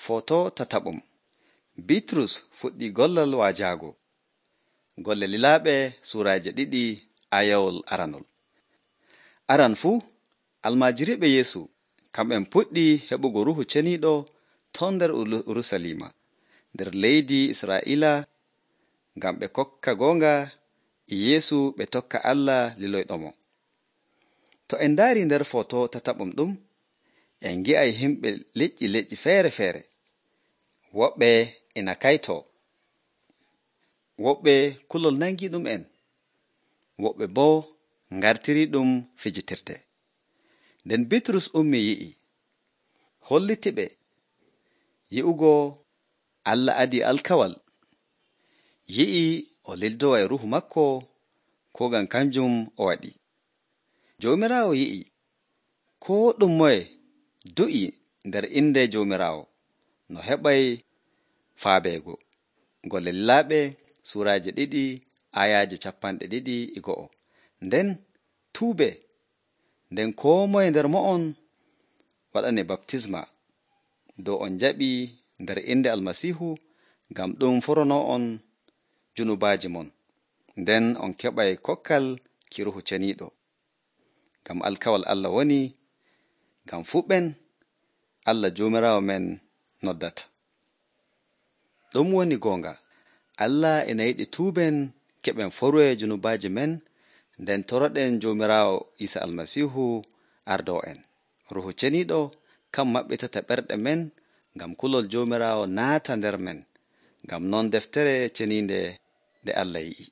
Foto tataɓum. Bitrus fuɗɗi gollal waajaago. Golle Lilaaɓe suuraaje 2 ayawol aranol. Aran fuu almaajiriiɓe Yeesu kamɓen puɗɗi heɓugo Ruuhu Ceniiɗo ton nder Urusalima nder leydi Israa'iila ngam ɓe kokka goonga e Yeesu ɓe tokka Allah liloyɗomo. To en ndaari nder foto tataɓum ɗum, en ngi'ay himɓe leƴƴi feere-feere. Woɓɓe ina kaytoo, woɓɓe kulol nangiiɗum en, woɓɓe boo ngartirii ɗum fijitirde. Nden Bitrus ummii yi'i, hollitiɓe yi'ugo Allah adii alkawal, yi'i o lildowa e Ruuhu makko koo ngam kanjum o waɗi. Joomiraawo yi'i koo ɗum moye du'i nder innde Joomiraawo no heɓay faabeego. Golle Lilaaɓe suuraaje 2 ayaaje 21. Nden tuubee, nden koo moye nder mo'on waɗane baptisma dow on jaɓii nder innde Almasiihu ngam ɗum foronoo'on junubaaji mon, nden on keɓay kokkal ki Ruuhu Ceniiɗo. Ngam alkawal Allah woni, ngam fuɓɓen Allah Joomiraawo men noddata. Ɗum woni goonga, Allah ina yiɗi tuuben keɓen foroye junubaaji men, nden toroɗen Joomiraawo Iisa Almasiihu ardoo en. Ruuhu Ceniiɗo kam maɓɓitata ɓerɗe men ngam kulol Joomiraawo naata nder men, ngam non deftere ceniinde nde Allah yi'i.